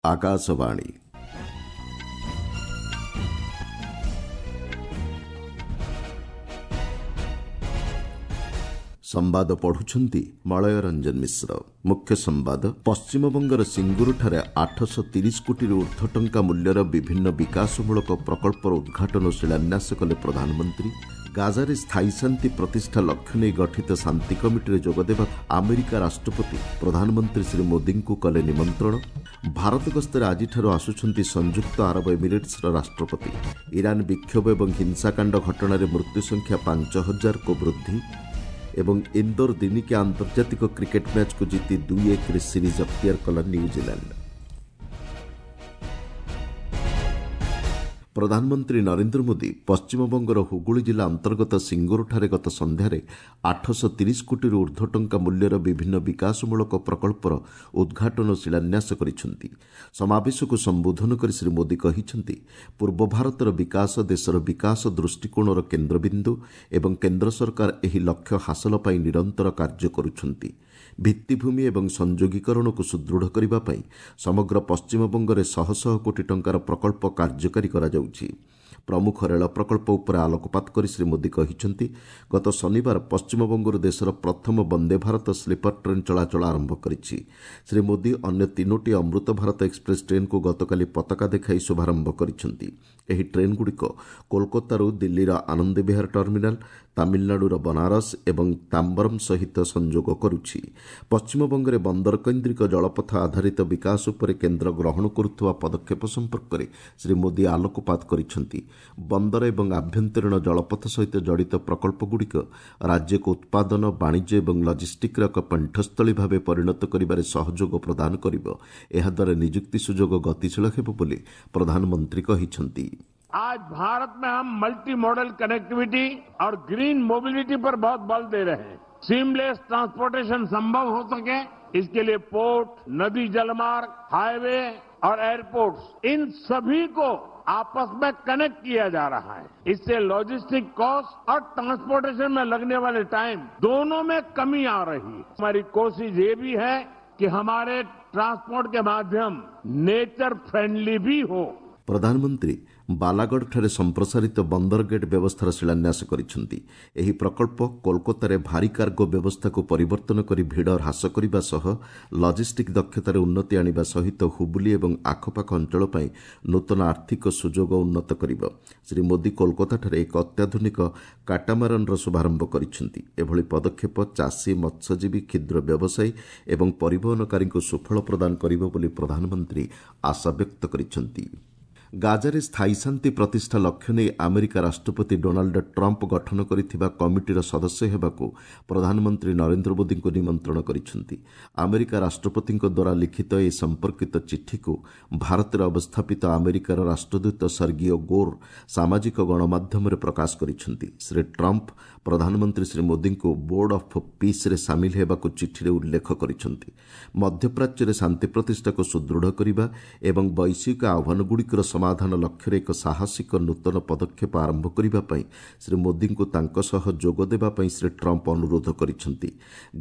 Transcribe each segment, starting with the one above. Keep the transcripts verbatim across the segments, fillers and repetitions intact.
ଆକାଶବାଣୀ ସମ୍ବାଦ ପଢୁଛନ୍ତି ମଳୟ ରଞ୍ଜନ ମିଶ୍ର। ମୁଖ୍ୟ ସମ୍ବାଦ। ପଶ୍ଚିମବଙ୍ଗର ସିଙ୍ଗୁରଠାରେ ଆଠଶହ ତିରିଶ କୋଟିରୁ ଉର୍ଦ୍ଧ୍ୱ ଟଙ୍କା ମୂଲ୍ୟର ବିଭିନ୍ନ ବିକାଶମୂଳକ ପ୍ରକଳ୍ପର ଉଦ୍ଘାଟନ ଓ ଶିଳାନ୍ୟାସ କଲେ ପ୍ରଧାନମନ୍ତ୍ରୀ। ଗାଜାରେ ସ୍ଥାୟୀ ଶାନ୍ତି ପ୍ରତିଷ୍ଠା ଲକ୍ଷ୍ୟ ନେଇ ଗଠିତ ଶାନ୍ତି କମିଟିରେ ଯୋଗଦେବାକୁ ଆମେରିକା ରାଷ୍ଟ୍ରପତି ପ୍ରଧାନମନ୍ତ୍ରୀ ଶ୍ରୀ ମୋଦିଙ୍କୁ କଲେ ନିମନ୍ତ୍ରଣ। ଭାରତ ଗସ୍ତରେ ଆଜିଠାରୁ ଆସୁଛନ୍ତି ସଂଯୁକ୍ତ ଆରବ ଏମିରେଟ୍ସର ରାଷ୍ଟ୍ରପତି। ଇରାନ ବିକ୍ଷୋଭ ଏବଂ ହିଂସାକାଣ୍ଡ ଘଟଣାରେ ମୃତ୍ୟୁ ସଂଖ୍ୟା ପାଞ୍ଚ ହଜାରକୁ ବୃଦ୍ଧି। ଏବଂ ଇନ୍ଦୋର ଦିନିକିଆ ଆନ୍ତର୍ଜାତିକ କ୍ରିକେଟ୍ ମ୍ୟାଚ୍କୁ ଜିତି ଦୁଇ ଏକରେ ସିରିଜ୍ ଅକ୍ତିଆର କଲା ନ୍ୟୁଜିଲାଣ୍ଡ। ପ୍ରଧାନମନ୍ତ୍ରୀ ନରେନ୍ଦ୍ର ମୋଦି ପଶ୍ଚିମବଙ୍ଗର ହୁଗୁଳି ଜିଲ୍ଲା ଅନ୍ତର୍ଗତ ସିଙ୍ଗୁରଠାରେ ଗତ ସନ୍ଧ୍ୟାରେ ଆଠଶହ ତିରିଶ କୋଟିରୁ ଉର୍ଦ୍ଧ୍ୱ ଟଙ୍କା ମୂଲ୍ୟର ବିଭିନ୍ନ ବିକାଶମୂଳକ ପ୍ରକଳ୍ପର ଉଦ୍ଘାଟନ ଓ ଶିଳାନ୍ୟାସ କରିଛନ୍ତି। ସମାବେଶକୁ ସମ୍ବୋଧନ କରି ଶ୍ରୀ ମୋଦି କହିଛନ୍ତି, ପୂର୍ବ ଭାରତର ବିକାଶ ଦେଶର ବିକାଶ ଦୃଷ୍ଟିକୋଣର କେନ୍ଦ୍ରବିନ୍ଦୁ ଏବଂ କେନ୍ଦ୍ର ସରକାର ଏହି ଲକ୍ଷ୍ୟ ହାସଲ ପାଇଁ ନିରନ୍ତର କାର୍ଯ୍ୟ କରୁଛନ୍ତି। ଭିତ୍ତିଭୂମି ଏବଂ ସଂଯୋଗୀକରଣକୁ ସୁଦୃଢ଼ କରିବା ପାଇଁ ସମଗ୍ର ପଶ୍ଚିମବଙ୍ଗରେ ଶହ ଶହ କୋଟି ଟଙ୍କାର ପ୍ରକଳ୍ପ କାର୍ଯ୍ୟକାରୀ କରାଯାଉଛି। ପ୍ରମୁଖ ରେଳ ପ୍ରକଳ୍ପ ଉପରେ ଆଲୋକପାତ କରି ଶ୍ରୀ ମୋଦି କହିଛନ୍ତି, ଗତ ଶନିବାର ପଶ୍ଚିମବଙ୍ଗରୁ ଦେଶର ପ୍ରଥମ ବନ୍ଦେ ଭାରତ ସ୍ଲିପର ଟ୍ରେନ୍ ଚଳାଚଳ ଆରମ୍ଭ କରିଛି। ଶ୍ରୀ ମୋଦି ଅନ୍ୟ ତିନୋଟି ଅମୃତ ଭାରତ ଏକ୍ସପ୍ରେସ୍ ଟ୍ରେନ୍କୁ ଗତକାଲି ପତାକା ଦେଖାଇ ଶୁଭାରମ୍ଭ କରିଛନ୍ତି। ଏହି ଟ୍ରେନ୍ଗୁଡ଼ିକ କୋଲକାତାରୁ ଦିଲ୍ଲୀର ଆନନ୍ଦବିହାର ଟର୍ମିନାଲ, ତାମିଲନାଡୁର ବନାରସ ଏବଂ ତାମ୍ବରମ୍ ସହିତ ସଂଯୋଗ କରୁଛି। ପଶ୍ଚିମବଙ୍ଗରେ ବନ୍ଦରକେନ୍ଦ୍ରିକ ଜଳପଥ ଆଧାରିତ ବିକାଶ ଉପରେ କେନ୍ଦ୍ର ଗ୍ରହଣ କରୁଥିବା ପଦକ୍ଷେପ ସମ୍ପର୍କରେ ଶ୍ରୀ ମୋଦି ଆଲୋକପାତ କରିଛନ୍ତି। ବନ୍ଦର ଏବଂ ଆଭ୍ୟନ୍ତରୀଣ ଜଳପଥ ସହିତ ଜଡ଼ିତ ପ୍ରକଳ୍ପଗୁଡ଼ିକ ରାଜ୍ୟକୁ ଉତ୍ପାଦନ, ବାଣିଜ୍ୟ ଏବଂ ଲଜିଷ୍ଟିକ୍ର ଏକ ପେଣ୍ଠସ୍ଥଳୀ ଭାବେ ପରିଣତ କରିବାରେ ସହଯୋଗ ପ୍ରଦାନ କରିବ। ଏହାଦ୍ୱାରା ନିଯୁକ୍ତି ସୁଯୋଗ ଗତିଶୀଳ ହେବ ବୋଲି ପ୍ରଧାନମନ୍ତ୍ରୀ କହିଛନ୍ତି। आज भारत में हम मल्टी मॉडल कनेक्टिविटी और ग्रीन मोबिलिटी पर बहुत बल दे रहे हैं। सीमलेस ट्रांसपोर्टेशन संभव हो सके, इसके लिए पोर्ट, नदी जलमार्ग, हाईवे और एयरपोर्ट्स, इन सभी को आपस में कनेक्ट किया जा रहा है। इससे लॉजिस्टिक कॉस्ट और ट्रांसपोर्टेशन में लगने वाले टाइम दोनों में कमी आ रही है। हमारी कोशिश ये भी है कि हमारे ट्रांसपोर्ट के माध्यम नेचर फ्रेंडली भी हो। ପ୍ରଧାନମନ୍ତ୍ରୀ ବାଲାଗଡ଼ଠାରେ ସମ୍ପ୍ରସାରିତ ବନ୍ଦର ଗେଟ୍ ବ୍ୟବସ୍ଥାର ଶିଳାନ୍ୟାସ କରିଛନ୍ତି। ଏହି ପ୍ରକଳ୍ପ କୋଲକାତାରେ ଭାରୀ କାର୍ଗୋ ବ୍ୟବସ୍ଥାକୁ ପରିବର୍ତ୍ତନ କରି ଭିଡ଼ ହ୍ରାସ କରିବା ସହ ଲଜିଷ୍ଟିକ୍ ଦକ୍ଷତାରେ ଉନ୍ନତି ଆଣିବା ସହିତ ହୁବୁଲି ଏବଂ ଆଖପାଖ ଅଞ୍ଚଳ ପାଇଁ ନୂତନ ଆର୍ଥିକ ସୁଯୋଗ ଉନ୍ନତ କରିବ। ଶ୍ରୀ ମୋଦି କୋଲକାତାଠାରେ ଏକ ଅତ୍ୟାଧୁନିକ କାଟାମାରନ୍ର ଶୁଭାରମ୍ଭ କରିଛନ୍ତି। ଏଭଳି ପଦକ୍ଷେପ ଚାଷୀ, ମତ୍ସ୍ୟଜୀବୀ, କ୍ଷୁଦ୍ର ବ୍ୟବସାୟୀ ଏବଂ ପରିବହନକାରୀଙ୍କୁ ସୁଫଳ ପ୍ରଦାନ କରିବ ବୋଲି ପ୍ରଧାନମନ୍ତ୍ରୀ ଆଶାବ୍ୟକ୍ତ କରିଛନ୍ତି। ଗାଜାରେ ସ୍ଥାୟୀ ଶାନ୍ତି ପ୍ରତିଷ୍ଠା ଲକ୍ଷ୍ୟ ନେଇ ଆମେରିକା ରାଷ୍ଟ୍ରପତି ଡୋନାଲ୍ଡ ଟ୍ରମ୍ପ ଗଠନ କରିଥିବା କମିଟିର ସଦସ୍ୟ ହେବାକୁ ପ୍ରଧାନମନ୍ତ୍ରୀ ନରେନ୍ଦ୍ର ମୋଦିଙ୍କୁ ନିମନ୍ତ୍ରଣ କରିଛନ୍ତି। ଆମେରିକା ରାଷ୍ଟ୍ରପତିଙ୍କ ଦ୍ୱାରା ଲିଖିତ ଏ ସମ୍ପର୍କିତ ଚିଠିକୁ ଭାରତରେ ଅବସ୍ଥାପିତ ଆମେରିକାର ରାଷ୍ଟ୍ରଦୂତ ସର୍ଗିଓ ଗୋର୍ ସାମାଜିକ ଗଣମାଧ୍ୟମରେ ପ୍ରକାଶ କରିଛନ୍ତି। ଶ୍ରୀ ଟ୍ରମ୍ପ ପ୍ରଧାନମନ୍ତ୍ରୀ ଶ୍ରୀ ମୋଦିଙ୍କୁ ବୋର୍ଡ ଅଫ୍ ପିସ୍ରେ ସାମିଲ ହେବାକୁ ଚିଠିରେ ଉଲ୍ଲେଖ କରିଛନ୍ତି। ମଧ୍ୟପ୍ରାଚ୍ୟରେ ଶାନ୍ତି ପ୍ରତିଷ୍ଠାକୁ ସୁଦୃଢ଼ କରିବା ଏବଂ ବୈଶ୍ୱିକ ଆହ୍ୱାନଗୁଡ଼ିକର ସମାଧାନ ଲକ୍ଷ୍ୟରେ ଏକ ସାହସିକ ନୂତନ ପଦକ୍ଷେପ ଆରମ୍ଭ କରିବା ପାଇଁ ଶ୍ରୀ ମୋଦିଙ୍କୁ ତାଙ୍କ ସହ ଯୋଗ ଦେବା ପାଇଁ ଶ୍ରୀ ଟ୍ରମ୍ପ ଅନୁରୋଧ କରିଛନ୍ତି।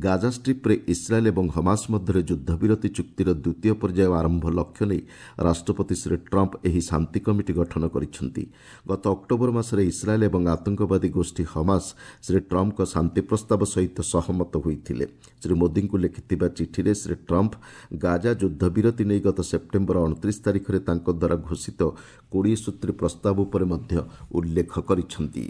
ଗାଜା ଷ୍ଟ୍ରିପ୍ରେ ଇସ୍ରାଏଲ୍ ଏବଂ ହମାସ ମଧ୍ୟରେ ଯୁଦ୍ଧବିରତି ଚୁକ୍ତିର ଦ୍ୱିତୀୟ ପର୍ଯ୍ୟାୟ ଆରମ୍ଭ ଲକ୍ଷ୍ୟ ନେଇ ରାଷ୍ଟ୍ରପତି ଶ୍ରୀ ଟ୍ରମ୍ପ ଏହି ଶାନ୍ତି କମିଟି ଗଠନ କରିଛନ୍ତି। ଗତ ଅକ୍ଟୋବର ମାସରେ ଇସ୍ରାଏଲ୍ ଏବଂ ଆତଙ୍କବାଦୀ ଗୋଷ୍ଠୀ ହମାସ ଶ୍ରୀ ଟ୍ରମ୍ପଙ୍କ ଶାନ୍ତି ପ୍ରସ୍ତାବ ସହିତ ସହମତ ହୋଇଥିଲେ। ଶ୍ରୀ ମୋଦିଙ୍କୁ ଲେଖିଥିବା ଚିଠିରେ ଶ୍ରୀ ଟ୍ରମ୍ପ ଗାଜା ଯୁଦ୍ଧବିରତି ନେଇ ଗତ ସେପ୍ଟେମ୍ବର ଅଣତିରିଶ ତାରିଖରେ ତାଙ୍କ ଦ୍ୱାରା ଘୋଷିତ କୋଡ଼ିଏ ସୂତ୍ରୀ ପ୍ରସ୍ତାବ ଉପରେ ମଧ୍ୟ ଉଲ୍ଲେଖ କରିଛନ୍ତି।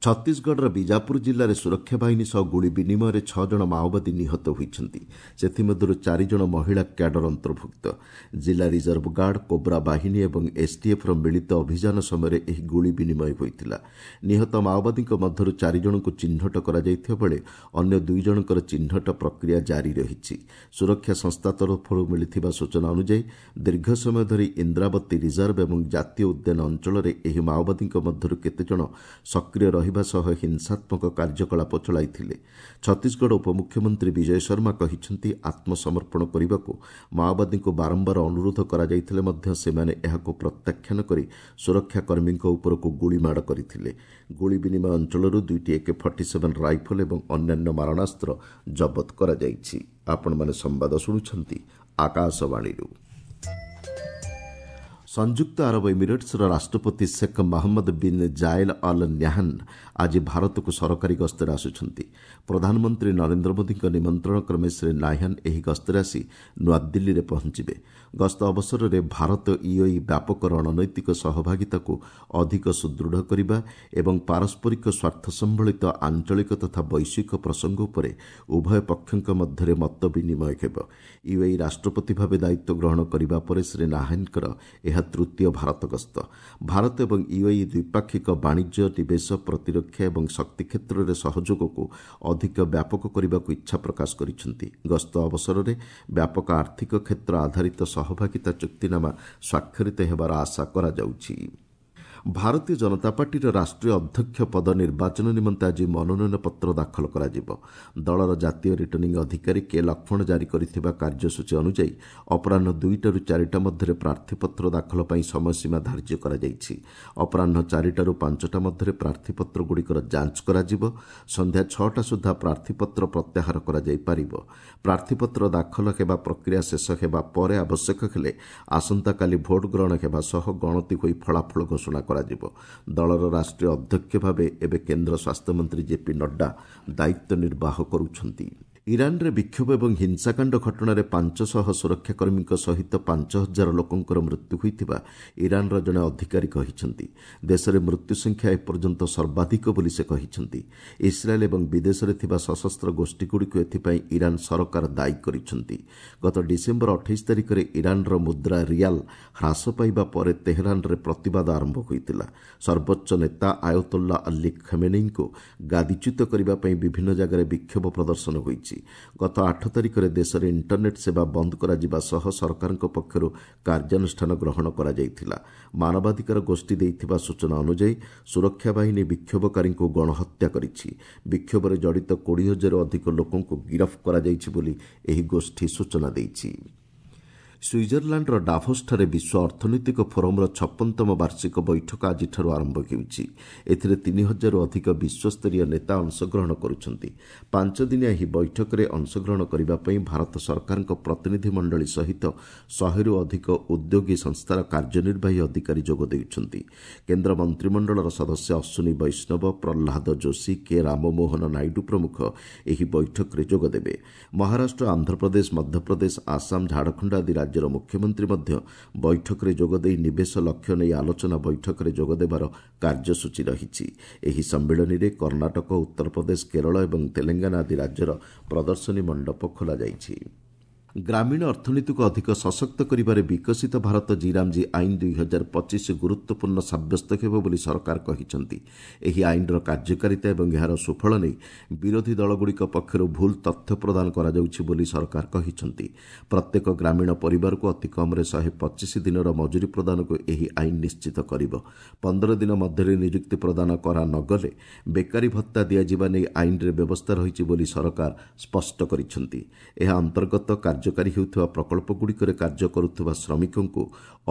ଛତିଶଗଡ଼ର ବିଜାପୁର ଜିଲ୍ଲାରେ ସୁରକ୍ଷା ବାହିନୀ ସହ ଗୁଳି ବିନିମୟରେ ଛଅ ଜଣ ମାଓବାଦୀ ନିହତ ହୋଇଛନ୍ତି। ସେଥିମଧ୍ୟରୁ ଚାରି ଜଣ ମହିଳା କ୍ୟାଡର ଅନ୍ତର୍ଭୁକ୍ତ। ଜିଲ୍ଲା ରିଜର୍ଭ ଗାର୍ଡ, କୋବ୍ରା ବାହିନୀ ଏବଂ ଏସ୍ଟିଏଫ୍ର ମିଳିତ ଅଭିଯାନ ସମୟରେ ଏହି ଗୁଳି ବିନିମୟ ହୋଇଥିଲା। ନିହତ ମାଓବାଦୀଙ୍କ ମଧ୍ୟରୁ ଚାରି ଜଣଙ୍କୁ ଚିହ୍ନଟ କରାଯାଇଥିବା ବେଳେ ଅନ୍ୟ ଦୁଇ ଜଣଙ୍କର ଚିହ୍ନଟ ପ୍ରକ୍ରିୟା ଜାରି ରହିଛି। ସୁରକ୍ଷା ସଂସ୍ଥା ତରଫରୁ ମିଳିଥିବା ସୂଚନା ଅନୁଯାୟୀ ଦୀର୍ଘ ସମୟ ଧରି ଇନ୍ଦ୍ରାବତୀ ରିଜର୍ଭ ଏବଂ ଜାତୀୟ ଉଦ୍ୟାନ ଅଞ୍ଚଳରେ ଏହି ମାଓବାଦୀଙ୍କ ମଧ୍ୟରୁ କେତେଜଣ ସକ୍ରିୟ ରହିବା ସହ ହିଂସାତ୍ମକ କାର୍ଯ୍ୟକଳାପ ଚଳାଇଥିଲେ। ଛତିଶଗଡ଼ ଉପମୁଖ୍ୟମନ୍ତ୍ରୀ ବିଜୟ ଶର୍ମା କହିଛନ୍ତି, ଆତ୍ମସମର୍ପଣ କରିବାକୁ ମାଓବାଦୀଙ୍କୁ ବାରମ୍ବାର ଅନୁରୋଧ କରାଯାଇଥିଲେ ମଧ୍ୟ ସେମାନେ ଏହାକୁ ପ୍ରତ୍ୟାଖ୍ୟାନ କରି ସୁରକ୍ଷାକର୍ମୀଙ୍କ ଉପରକୁ ଗୁଳିମାଡ଼ କରିଥିଲେ। ଗୁଳି ବିନିମୟ ଅଞ୍ଚଳରୁ ଦୁଇଟି ଏକେ ଫର୍ଟି ସେଭେନ୍ ରାଇଫଲ୍ ଏବଂ ଅନ୍ୟାନ୍ୟ ମାରଣାସ୍ତ୍ର ଜବତ କରାଯାଇଛି। ଆପଣମାନେ ସମ୍ବାଦ ଶୁଣୁଛନ୍ତି ଆକାଶବାଣୀରୁ। ସଂଯୁକ୍ତ ଆରବ ଏମିରେଟ୍ସର ରାଷ୍ଟ୍ରପତି Sheikh Mohammed bin Zayed Al Nahyan ଆଜି ଭାରତକୁ ସରକାରୀ ଗସ୍ତରେ ଆସୁଛନ୍ତି। ପ୍ରଧାନମନ୍ତ୍ରୀ ନରେନ୍ଦ୍ର ମୋଦିଙ୍କ ନିମନ୍ତ୍ରଣ କ୍ରମେ ଶ୍ରୀ ନାହ୍ୟାନ୍ ଏହି ଗସ୍ତରେ ଆସି ନୂଆଦିଲ୍ଲୀରେ ପହଞ୍ଚିବେ। ଗସ୍ତ ଅବସରରେ ଭାରତ ୟୁଏଇ ବ୍ୟାପକ ରଣନୈତିକ ସହଭାଗିତାକୁ ଅଧିକ ସୁଦୃଢ଼ କରିବା ଏବଂ ପାରସ୍ପରିକ ସ୍ୱାର୍ଥ ସମ୍ବଳିତ ଆଞ୍ଚଳିକ ତଥା ବୈଶ୍ୱିକ ପ୍ରସଙ୍ଗ ଉପରେ ଉଭୟ ପକ୍ଷଙ୍କ ମଧ୍ୟରେ ମତ ବିନିମୟ ହେବ। ୟୁଏଇ ରାଷ୍ଟ୍ରପତି ଭାବେ ଦାୟିତ୍ୱ ଗ୍ରହଣ କରିବା ପରେ ଶ୍ରୀ ନାହ୍ୟାନ୍ଙ୍କର ଏହା ତୃତୀୟ ଭାରତ ଗସ୍ତ। ଭାରତ ଏବଂ ୟୁଏଇ ଦ୍ୱିପାକ୍ଷିକ ବାଣିଜ୍ୟ, ନିବେଶ, ପ୍ରତିରକ୍ଷା ଏବଂ ଶକ୍ତି କ୍ଷେତ୍ରରେ ସହଯୋଗକୁ ଅଧିକ ବ୍ୟାପକ କରିବାକୁ ଇଚ୍ଛା ପ୍ରକାଶ କରିଛନ୍ତି। ଗସ୍ତ ଅବସରରେ ବ୍ୟାପକ ଆର୍ଥିକ କ୍ଷେତ୍ର ଆଧାରିତ ସହଭାଗିତା ଚୁକ୍ତିନାମା ସ୍ୱାକ୍ଷରିତ ହେବାର ଆଶା କରାଯାଉଛି। ଭାରତୀୟ ଜନତା ପାର୍ଟିର ରାଷ୍ଟ୍ରୀୟ ଅଧ୍ୟକ୍ଷ ପଦ ନିର୍ବାଚନ ନିମନ୍ତେ ଆଜି ମନୋନୟନ ପତ୍ର ଦାଖଲ କରାଯିବ। ଦଳର ଜାତୀୟ ରିଟର୍ଣ୍ଣିଂ ଅଧିକାରୀ କେ ଲକ୍ଷ୍ମଣ ଜାରି କରିଥିବା କାର୍ଯ୍ୟସୂଚୀ ଅନୁଯାୟୀ ଅପରାହ୍ନ ଦୁଇଟାରୁ ଚାରିଟା ମଧ୍ୟରେ ପ୍ରାର୍ଥୀପତ୍ର ଦାଖଲ ପାଇଁ ସମୟସୀମା ଧାର୍ଯ୍ୟ କରାଯାଇଛି। ଅପରାହ୍ନ ଚାରିଟାରୁ ପାଞ୍ଚଟା ମଧ୍ୟରେ ପ୍ରାର୍ଥୀପତ୍ରଗୁଡ଼ିକର ଯାଞ୍ଚ କରାଯିବ। ସନ୍ଧ୍ୟା ଛଅଟା ସୁଦ୍ଧା ପ୍ରାର୍ଥୀପତ୍ର ପ୍ରତ୍ୟାହାର କରାଯାଇପାରିବ। ପ୍ରାର୍ଥୀପତ୍ର ଦାଖଲ ହେବା ପ୍ରକ୍ରିୟା ଶେଷ ହେବା ପରେ ଆବଶ୍ୟକ ହେଲେ ଆସନ୍ତାକାଲି ଭୋଟ ଗ୍ରହଣ ହେବା ସହ ଗଣତି ହୋଇ ଫଳାଫଳ ଘୋଷଣା କରାଯିବ। ଦଳର ରାଷ୍ଟ୍ରୀୟ ଅଧ୍ୟକ୍ଷ ଭାବେ ଏବେ କେନ୍ଦ୍ର ସ୍ୱାସ୍ଥ୍ୟମନ୍ତ୍ରୀ ଜେପି ନଡ୍ଡା ଦାୟିତ୍ୱ ନିର୍ବାହ କରୁଛନ୍ତି। ଇରାନରେ ବିକ୍ଷୋଭ ଏବଂ ହିଂସାକାଣ୍ଡ ଘଟଣାରେ ପାଞ୍ଚଶହ ସୁରକ୍ଷାକର୍ମୀଙ୍କ ସହିତ ପାଞ୍ଚ ହଜାର ଲୋକଙ୍କର ମୃତ୍ୟୁ ହୋଇଥିବା ଇରାନର ଜଣେ ଅଧିକାରୀ କହିଛନ୍ତି। ଦେଶରେ ମୃତ୍ୟୁ ସଂଖ୍ୟା ଏପର୍ଯ୍ୟନ୍ତ ସର୍ବାଧିକ ବୋଲି ସେ କହିଛନ୍ତି। ଇସ୍ରାଏଲ୍ ଏବଂ ବିଦେଶରେ ଥିବା ସଶସ୍ତ୍ର ଗୋଷ୍ଠୀଗୁଡ଼ିକୁ ଏଥିପାଇଁ ଇରାନ ସରକାର ଦାୟୀ କରିଛନ୍ତି। ଗତ ଡିସେମ୍ବର ଅଠେଇଶ ତାରିଖରେ ଇରାନର ମୁଦ୍ରା ରିଆଲ୍ ହ୍ରାସ ପାଇବା ପରେ ତେହରାନରେ ପ୍ରତିବାଦ ଆରମ୍ଭ ହୋଇଥିଲା। ସର୍ବୋଚ୍ଚ ନେତା ଆୟତୋଲ୍ଲା ଅଲ୍ଲୀ ଖମେନେଇଙ୍କୁ ଗାଦିଚ୍ୟୁତ କରିବା ପାଇଁ ବିଭିନ୍ନ ଜାଗାରେ ବିକ୍ଷୋଭ ପ୍ରଦର୍ଶନ ହୋଇଛି। ଗତ ଆଠ ତାରିଖରେ ଦେଶରେ ଇଣ୍ଟରନେଟ୍ ସେବା ବନ୍ଦ କରାଯିବା ସହ ସରକାରଙ୍କ ପକ୍ଷରୁ କାର୍ଯ୍ୟାନୁଷ୍ଠାନ ଗ୍ରହଣ କରାଯାଇଥିଲା। ମାନବାଧିକାର ଗୋଷ୍ଠୀ ଦେଇଥିବା ସୂଚନା ଅନୁଯାୟୀ ସୁରକ୍ଷା ବାହିନୀ ବିକ୍ଷୋଭକାରୀଙ୍କୁ ଗଣହତ୍ୟା କରିଛି। ବିକ୍ଷୋଭରେ ଜଡ଼ିତ କୋଡ଼ିଏ ହଜାରରୁ ଅଧିକ ଲୋକଙ୍କୁ ଗିରଫ କରାଯାଇଛି ବୋଲି ଏହି ଗୋଷ୍ଠୀ ସୂଚନା ଦେଇଛି। ସୁଇଜରଲ୍ୟାଣ୍ଡର ଡାଭୋସଠାରେ ବିଶ୍ୱ ଅର୍ଥନୈତିକ ଫୋରମ୍ର ଛପନତମ ବାର୍ଷିକ ବୈଠକ ଆଜିଠାରୁ ଆରମ୍ଭ ହେଉଛି। ଏଥିରେ ତିନି ହଜାରରୁ ଅଧିକ ବିଶ୍ୱସ୍ତରୀୟ ନେତା ଅଂଶଗ୍ରହଣ କରୁଛନ୍ତି। ପାଞ୍ଚଦିନିଆ ଏହି ବୈଠକରେ ଅଂଶଗ୍ରହଣ କରିବା ପାଇଁ ଭାରତ ସରକାରଙ୍କ ପ୍ରତିନିଧି ମଣ୍ଡଳୀ ସହିତ ଶହେରୁ ଅଧିକ ଉଦ୍ୟୋଗୀ ସଂସ୍ଥାର କାର୍ଯ୍ୟନିର୍ବାହୀ ଅଧିକାରୀ ଯୋଗ ଦେଉଛନ୍ତି। କେନ୍ଦ୍ର ମନ୍ତ୍ରିମଣ୍ଡଳର ସଦସ୍ୟ ଅଶ୍ୱିନୀ ବୈଷ୍ଣବ, ପ୍ରହ୍ଲାଦ ଯୋଶୀ, କେ ରାମମୋହନ ନାଇଡୁ ପ୍ରମୁଖ ଏହି ବୈଠକରେ ଯୋଗଦେବେ। ମହାରାଷ୍ଟ୍ର, ଆନ୍ଧ୍ରପ୍ରଦେଶ, ମଧ୍ୟପ୍ରଦେଶ, ଆସାମ, ଝାଡ଼ଖଣ୍ଡ ଆଦି ରାଜ୍ୟର ମୁଖ୍ୟମନ୍ତ୍ରୀ ମଧ୍ୟ ବୈଠକରେ ଯୋଗଦେଇ ନିବେଶ ଲକ୍ଷ୍ୟ ନେଇ ଆଲୋଚନା ବୈଠକରେ ଯୋଗଦେବାର କାର୍ଯ୍ୟସୂଚୀ ରହିଛି। ଏହି ସମ୍ମିଳନୀରେ କର୍ଣ୍ଣାଟକ, ଉତ୍ତରପ୍ରଦେଶ, କେରଳ ଏବଂ ତେଲେଙ୍ଗାନା ଆଦି ରାଜ୍ୟର ପ୍ରଦର୍ଶନୀ ମଣ୍ଡପ ଖୋଲାଯାଇଛି। ଗ୍ରାମୀଣ ଅର୍ଥନୀତିକୁ ଅଧିକ ସଶକ୍ତ କରିବାରେ ବିକଶିତ ଭାରତ ଜିରାମଜୀ ଆଇନ ଦୁଇ ହଜାର ପଚିଶ ଗୁରୁତ୍ୱପୂର୍ଣ୍ଣ ସାବ୍ୟସ୍ତ ହେବ ବୋଲି ସରକାର କହିଛନ୍ତି। ଏହି ଆଇନର କାର୍ଯ୍ୟକାରିତା ଏବଂ ଏହାର ସୁଫଳ ନେଇ ବିରୋଧୀ ଦଳଗୁଡ଼ିକ ପକ୍ଷରୁ ଭୁଲ ତଥ୍ୟ ପ୍ରଦାନ କରାଯାଉଛି ବୋଲି ସରକାର କହିଛନ୍ତି। ପ୍ରତ୍ୟେକ ଗ୍ରାମୀଣ ପରିବାରକୁ ଅତି କମ୍ରେ ଶହେ ପଚିଶ ଦିନର ମଜୁରୀ ପ୍ରଦାନକୁ ଏହି ଆଇନ ନିଶ୍ଚିତ କରିବ। ପନ୍ଦର ଦିନ ମଧ୍ୟରେ ନିଯୁକ୍ତି ପ୍ରଦାନ କରା ନଗଲେ ବେକାରୀ ଭତ୍ତା ଦିଆଯିବା ନେଇ ଆଇନରେ ବ୍ୟବସ୍ଥା ରହିଛି ବୋଲି ସରକାର ସ୍ପଷ୍ଟ କରିଛନ୍ତି। ଏହା ଅନ୍ତର୍ଗତ କାର୍ଯ୍ୟକାରୀ ହେଉଥିବା ପ୍ରକଳ୍ପଗୁଡ଼ିକରେ କାର୍ଯ୍ୟ କରୁଥିବା ଶ୍ରମିକଙ୍କୁ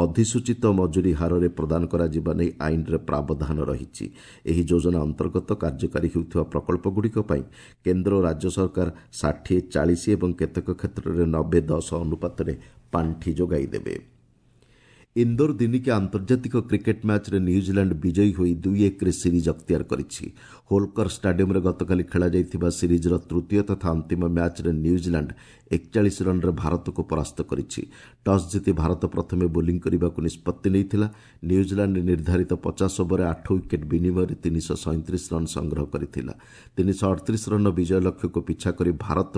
ଅଧିସୂଚିତ ମଜୁରୀ ହାରରେ ପ୍ରଦାନ କରାଯିବା ନେଇ ଆଇନରେ ପ୍ରାବଧାନ ରହିଛି। ଏହି ଯୋଜନା ଅନ୍ତର୍ଗତ କାର୍ଯ୍ୟକାରୀ ହେଉଥିବା ପ୍ରକଳ୍ପଗୁଡ଼ିକ ପାଇଁ କେନ୍ଦ୍ର ଓ ରାଜ୍ୟ ସରକାର ଷାଠିଏ ଚାଳିଶ ଏବଂ କେତେକ କ୍ଷେତ୍ରରେ ନବେ ଦଶ ଅନୁପାତରେ ପାଣ୍ଠି ଯୋଗାଇ ଦେବେ। ଇନ୍ଦୋର ଦିନିକିଆ ଆନ୍ତର୍ଜାତିକ କ୍ରିକେଟ୍ ମ୍ୟାଚ୍ରେ ନ୍ୟୁଜିଲାଣ୍ଡ ବିଜୟୀ ହୋଇ ଦୁଇ ଏକରେ ସିରିଜ୍ ଅକ୍ତିଆର କରିଛି। ହୋଲକର ଷ୍ଟାଡିୟମ୍ରେ ଗତକାଲି ଖେଳାଯାଇଥିବା ସିରିଜ୍ର ତୃତୀୟ ତଥା ଅନ୍ତିମ ମ୍ୟାଚ୍ରେ ନ୍ୟୁଜିଲାଣ୍ଡ ଏକଚାଳିଶ ରନ୍ରେ ଭାରତକୁ ପରାସ୍ତ କରିଛି। ଟସ୍ ଜିତି ଭାରତ ପ୍ରଥମେ ବୋଲିଂ କରିବାକୁ ନିଷ୍ପତ୍ତି ନେଇଥିଲା। ନ୍ୟୁଜିଲାଣ୍ଡ ନିର୍ଦ୍ଧାରିତ ପଚାଶ ଓଭରରେ ଆଠ ୱିକେଟ୍ ବିନିମୟରେ ତିନିଶହ ସଇଁତିରିଶ ରନ୍ ସଂଗ୍ରହ କରିଥିଲା। ତିନିଶହ ଅଠତିରିଶ ରନ୍ର ବିଜୟ ଲକ୍ଷ୍ୟକୁ ପିଛା କରି ଭାରତ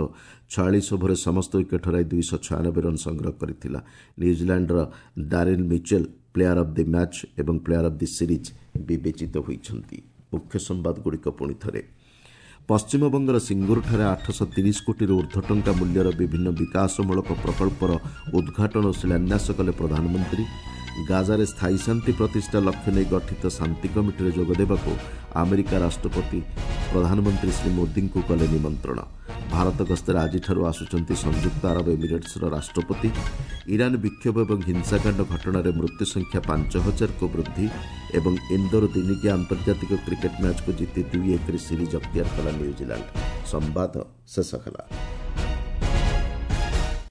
ଛୟାଳିଶ ଓଭରରେ ସମସ୍ତ ୱିକେଟ୍ ହରାଇ ଦୁଇଶହ ଛୟାନବେ ରନ୍ ସଂଗ୍ରହ କରିଥିଲା। ନ୍ୟୁଜିଲାଣ୍ଡର Daryl Mitchell player of the match ଏବଂ ପ୍ଲେୟାର ଅଫ୍ the series ବିବେଚିତ ହୋଇଛନ୍ତି। ମୁଖ୍ୟ ସମ୍ବାଦଗୁଡ଼ିକ ପୁଣି ଥରେ। ପଶ୍ଚିମବଙ୍ଗର ସିଙ୍ଗୁରଠାରେ ଆଠଶହ ତିରିଶ କୋଟିରୁ ଉର୍ଦ୍ଧ୍ୱ ଟଙ୍କା ମୂଲ୍ୟର ବିଭିନ୍ନ ବିକାଶମୂଳକ ପ୍ରକଳ୍ପର ଉଦ୍ଘାଟନ ଓ ଶିଳାନ୍ୟାସ କଲେ ପ୍ରଧାନମନ୍ତ୍ରୀ। ଗାଜାରେ ସ୍ଥାୟୀ ଶାନ୍ତି ପ୍ରତିଷ୍ଠା ଲକ୍ଷ୍ୟ ନେଇ ଗଠିତ ଶାନ୍ତି କମିଟିରେ ଯୋଗଦେବାକୁ ଆମେରିକା ରାଷ୍ଟ୍ରପତି ପ୍ରଧାନମନ୍ତ୍ରୀ ଶ୍ରୀ ମୋଦିଙ୍କୁ କଲେ ନିମନ୍ତ୍ରଣ। ଭାରତ ଗସ୍ତରେ ଆଜିଠାରୁ ଆସୁଛନ୍ତି ସଂଯୁକ୍ତ ଆରବ ଏମିରେଟ୍ସର ରାଷ୍ଟ୍ରପତି। ଇରାନ ବିକ୍ଷୋଭ ଏବଂ ହିଂସାକାଣ୍ଡ ଘଟଣାରେ ମୃତ୍ୟୁ ସଂଖ୍ୟା ପାଞ୍ଚ ହଜାରକୁ ବୃଦ୍ଧି ଏବଂ ଇନ୍ଦୋର ଦିନିକିଆ ଆନ୍ତର୍ଜାତିକ କ୍ରିକେଟ୍ ମ୍ୟାଚ୍କୁ ଜିତି ଦୁଇ ଏକରେ ସିରିଜ୍ ଅକ୍ତିଆର କଲା ନ୍ୟୁଜିଲାଣ୍ଡ। ସମ୍ବାଦ ଶେଷ ହେଲା।